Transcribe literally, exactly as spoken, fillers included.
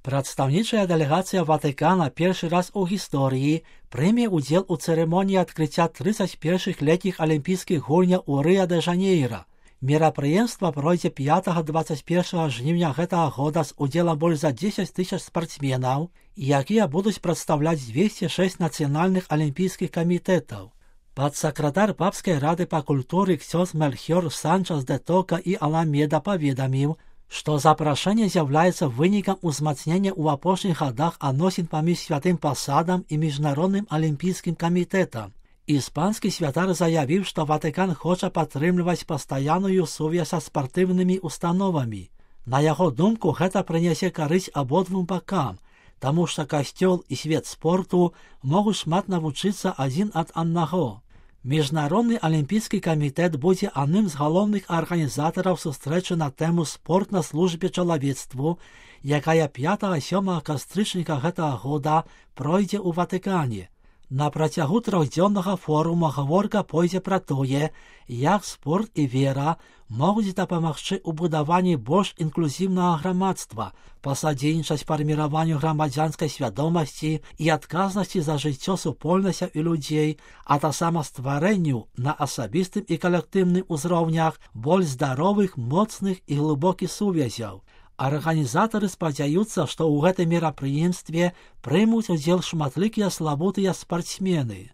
Прадстаўнічая дэлегацыя Ватыкана першы раз у гісторыі прыме ўдзел у цырымоніі адкрыцця трыццаць першых летніх алімпійскіх гульняў у Рыа-дэ-Жанейра. Мерапрыемства пройдзе пятага-дваццаць першага жніўня гэтага года з удзелам больш за дзесяць тысяч спартсменаў, якія будуць прадстаўляць дзвесце шэсць нацыянальных алімпійскіх камітэтаў. Падсакратар папскай рады па культуры ксёндз Мельхіёр Санчес де Тока і Аламеда паведаміў, што запрашэнне з'яўляецца вынікам узмацнення ў апошніх гадах адносін паміж святым пасадам і міжнародным алімпійскім камітэтам. Іспанскі святар заявіў, што Ватыкан хоча падтрымліваць пастаянную сувязь са спартыўнымі установамі. На яго думку, гэта прынясе карысць абодвум бакам, таму што касцёл і свет спорту могуць шмат навучыцца адзін ад аднаго. Міжнародны алімпійскі камітэт будзе адным з галоўных арганізатараў сустрэчы на тэму «Спорт на службе чалавецтву», якая пятага-сёмага кастрычніка гэтага года пройдзе ў Ватыкане. На працягу трохдзённага форума гаворка пойдзе пра тое, як спорт і вера могуць дапамагчы ў будаванні больш інклюзіўнага грамадства, пасадзейнічаць фарміраванню грамадзянскай свядомасці і адказнасці за жыццё супольнасцяў і людзей, а таксама стварэнню на асабістым і калектыўным узроўнях больш здаровых, моцных і глыбокіх сувязяў. Арганізатары спадзяюцца, што ў гэтым мерапрыемстве прымуць удзел шматлікія славутыя спартсмены.